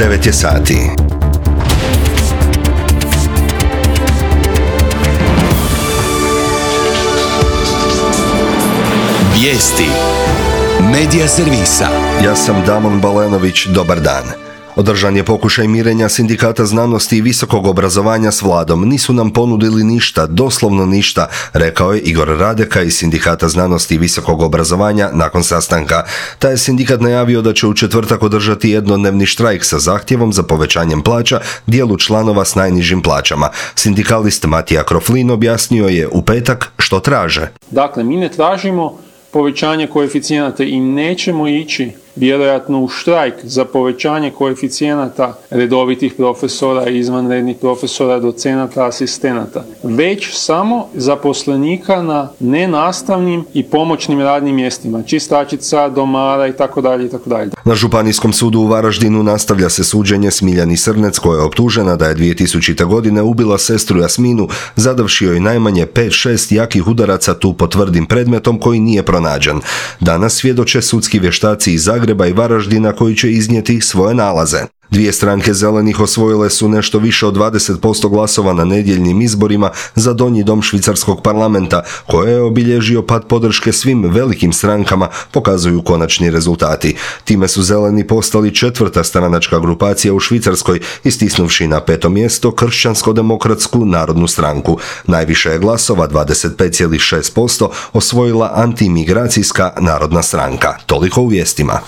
9 je sati. Vijesti Medija servisa. Ja sam Damon Balenović, dobar dan. Održan je pokušaj mirenja Sindikata znanosti i visokog obrazovanja s vladom. Nisu nam ponudili ništa, doslovno ništa, rekao je Igor Radeka iz Sindikata znanosti i visokog obrazovanja nakon sastanka. Taj je sindikat najavio da će u četvrtak održati jednodnevni štrajk sa zahtjevom za povećanjem plaća dijelu članova s najnižim plaćama. Sindikalist Matija Kroflin objasnio je u petak što traže. Dakle, mi ne tražimo povećanje koeficijenata i nećemo ići vjerojatno u štrajk za povećanje koeficijenata redovitih profesora, izvanrednih profesora, docenata, asistenata, već samo zaposlenika na nenastavnim i pomoćnim radnim mjestima, čistačica, domara itd. Na Županijskom sudu u Varaždinu nastavlja se suđenje Smiljani Srnec, koja je optužena da je 2000. godine ubila sestru Jasminu, zadavši joj najmanje 5-6 jakih udaraca, tu po tvrdim predmetom koji nije pronađen. Danas svjedoče sudski vještaci iz Zagreba i Varaždina koji će iznijeti svoje nalaze. Dvije stranke zelenih osvojile su nešto više od 20% glasova na nedjeljnim izborima za donji dom švicarskog parlamenta, koje je obilježio pad podrške svim velikim strankama, pokazuju konačni rezultati. Time su zeleni postali četvrta stranačka grupacija u Švicarskoj, istisnuvši na 5. mjesto Kršćansko-demokratsku narodnu stranku. Najviše je glasova, 25,6%, osvojila antimigracijska narodna stranka. Toliko u vijestima.